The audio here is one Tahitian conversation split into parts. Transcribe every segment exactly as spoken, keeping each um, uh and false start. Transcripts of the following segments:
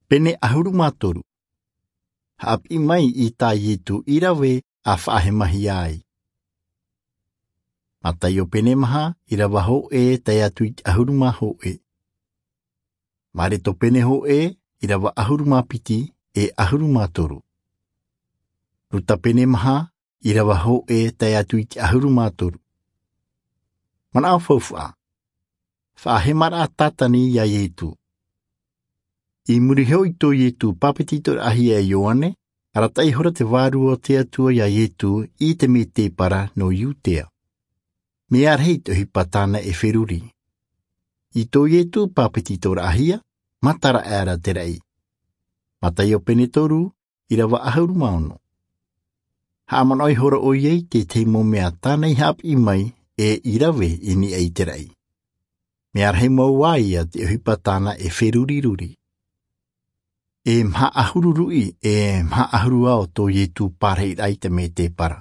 Pene ʻahuru mā toru. Haʻapiʻi mai i tā Ietu i rave a faʻahemahia ai. Mataio pene maha, ʻirava hōʻē tae atu i te ʻahuru mā hōʻē. Mareto pene hōʻē, ʻirava ʻahuru mā piti e ʻahuru mā toru. Ruta pene maha, ʻirava hōʻē tae atu i te ʻahuru mā toru. Manaʻo faufaʻa. Faʻahemaraʻa Tātani iā Ietu. I muri iho i tō Ietu pāpetitoraʻahia e Ioane, arataʻi ihora te Vārua o te Atua iā Ietu i te mētēpara nō Iutea. Mea rahi te ʻohipa tāna e feruri. I tō Ietu pāpetitoraʻahia, matara aʻera te raʻi. Mataio pene toru, ʻirava ʻahuru mā ono. Haʻamanaʻo ihora ʻoia i te tahi mau mea tāna i haʻapiʻi mai e i rave i niʻa i te raʻi. Mea rahi mau ā ia te ʻohipa tāna e feruriruri. E maha ʻahuru ruʻi, e maha ʻahuru ao tō Ietu pārahiraʻa i te mētēpara.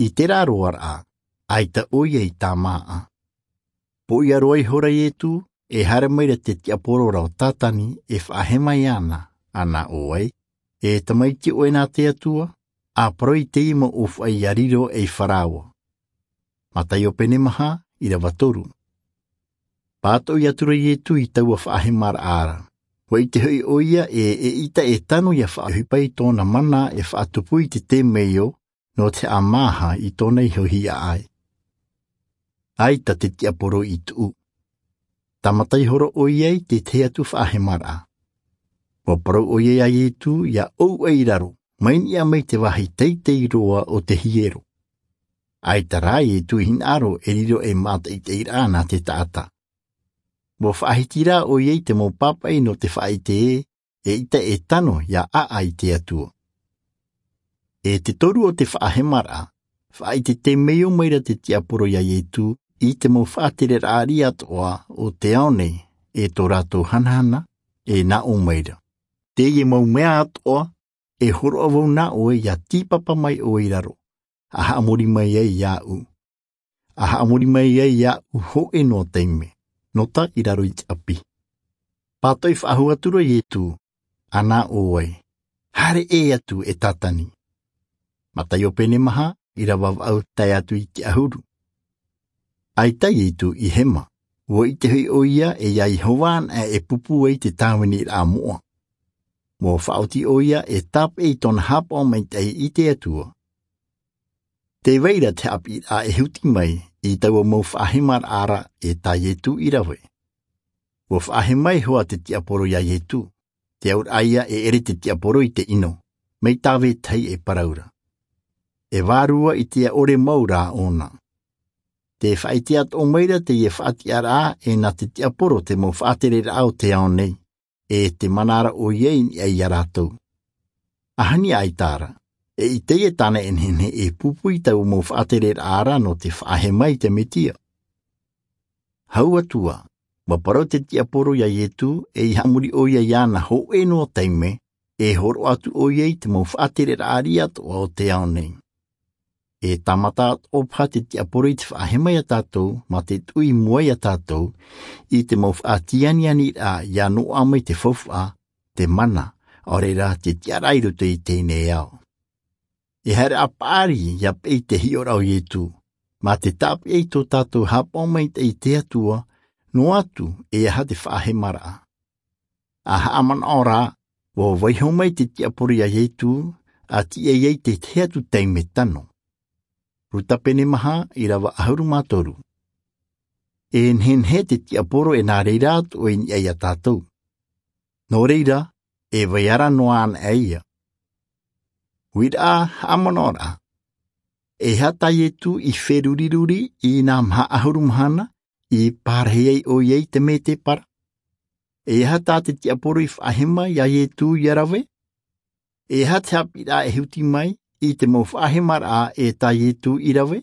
I terā roaraʻa, ʻaita ʻoia i tāmāʻa. Pōʻia roa ihora Ietu, e haere mai ra te tiaporo ra o Tātani e faʻahema iāna, ʻana ʻo vai, e tamaiti ʻoe nā te Atua, a parau i teie mau ʻōfaʻi ia riro ei faraoa. Mataio pene maha, ʻirava toru. Pātoʻi atu ra Ietu i taua faʻahemaraʻa ra. ʻUa ʻite hoʻi ʻoia e, eʻita e tano ia faʻaʻohipa i tōna mana e faʻatupu i te temeio, nō te haʻamāha i tōna iho hiaʻai. ʻAita te tiaporo i tuʻu. Tāmata ihora ʻoia i te tahi atu faʻahemaraʻa. ʻUa parau ʻoia iā Ietu ia ʻou aʻe i raro, mai niʻa mai te vāhi teitei roa o te hiero. ʻAita rā Ietu i hinaʻaro e riro ei mātaʻitaʻiraʻa nā te taʻata. ʻUa faʻahiti rā ʻoia i te mau pāpaʻi nō te faʻaʻite ē, eʻita e tano ia ʻaʻa i te Atua. E te toru o te faʻahemaraʻa, faʻaʻite temeio mai ra te tiaporo iā Ietu i te mau faʻatereraʻa riʻi atoʻa o te ao nei, e tō rātou hanahana, e nā ʻō mai ra. Teie mau mea atoʻa, e hōroʻa vau nā ʻoe ia tīpapa mai ʻoe i raro, a haʻamori mai ai iāʻu. A haʻamori mai ai iāʻu hōʻē noa taime, nō tā i raro i te ʻapi. Pātoʻi faʻahou atu ra Ietu, ʻana ʻo vai, haere ʻē atu e Tātani. Mataio pene maha, ʻirava vaʻu tae atu i te ʻahuru. ʻAita Ietu i hema, ʻua ʻite hoʻi ʻoia e iā Iehova anaʻe e pūpū ai te tāviniraʻa moʻa. ʻUa faʻaoti ʻoia e tāpeʻa i tōna haʻapaʻo maitaʻi i te Atua. Tē vai ra te haʻapiʻiraʻa e huti mai i taua mau faʻahemaraʻa ra e tā Ietu i rave. ʻUa faʻahema iho ā te tiaporo iā Ietu, te auraʻa ia e ʻere te tiaporo i te ʻino, mai tā vetahi e parau ra. E vārua i te ʻore mau rā ʻōna. Tē faʻaʻite atoʻa mai ra teie faʻatiʻaraʻa e nā te tiaporo te mau faʻatereraʻa o te ao nei, e te mana ra ʻoia i niʻa iā rātou. ʻAhani ʻaita rā, eʻita e tāna e nehenehe e pūpū i taua mau faʻatereraʻa ra nō te faʻahema i te Metia. Hau atu ā, ʻua parau te tiaporo iā Ietu e i haʻamori ʻoia iāna hōʻē noa taime, e hōroʻa atu ʻoia i te mau faʻatereraʻa riʻi atoʻa o te ao nei. E tāmata atoʻa paha te tiaporo i te faʻahema iā tātou, mā te tuʻu i mua iā tātou, i te mau faʻatianianiraʻa ia noaʻa mai te faufaʻa, te mana, ʻaore rā te tiʻaraʻa i roto i teie nei ao. E haere ā paʻari ia peʻe i te hiʻoraʻa o Ietu, mā te tāpeʻa i tō tātou haʻapaʻo maitaʻi i te Atua, noa atu e aha te faʻahemaraʻa. A haʻamanaʻo rā, ʻua vaiiho mai te tiaporo iā Ietu, a tiʻa ai te tahi atu taime tano. Ruta pene maha, ʻirava ʻahuru mā toru. E nehenehe te tiaporo e nā reira atoʻa i niʻa iā tātou. Nō reira, e vai ara noa anaʻe ia. Uiraʻa, haʻamanaʻo rā. E aha tā Ietu i feruriruri i nā maha ʻahuru mahana, i pārahi ai ʻoia i te mētēpara? E aha tā te tiaporo i faʻahema iā Ietu ia rave? E aha te haʻapiʻiraʻa e huti mai i te mau faʻahemaraʻa e tā Ietu i rave?